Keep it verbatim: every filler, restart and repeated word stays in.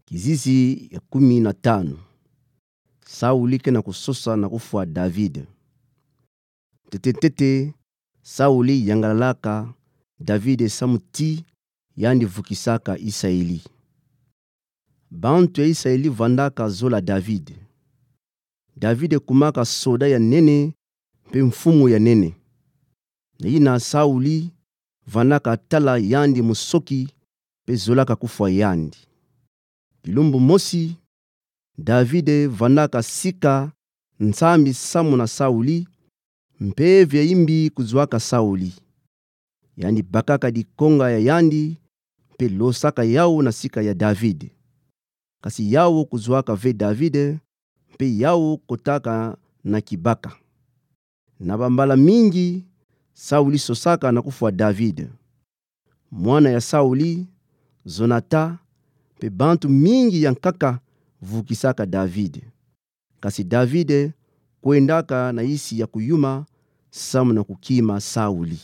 Kizizi ya kumi na tanu. Sauli ke na kusosa na kufwa David. Ntete ntete, Sauli yangalalaka David samu ti yandi vukisaka Isaeli. Bantu ya Isaeli vandaka zola David. David kumaka soda ya nene, mpe mfumu ya nene. Na yina Sauli vandaka tala yandi musoki, mpe zolaka kufwa yandi. Kilumbu mosi, David vandaka sika nsambi samu na Sauli, mpeve ya imbi kuzuaka Sauli. Yandi bakaka dikonga ya yandi, mpe losaka yawu na sika ya David. Kasi yawu kuzuaka ve David, mpe yawu kotaka na kibaka. Na bambala mingi, Sauli sosaka na kufwa David. Mwana ya Sauli, Jonata, mpe bantu mingi ya nkaka vukisaka David. Kasi David kwendaka na isi ya kuyuma samu na kukima Sauli.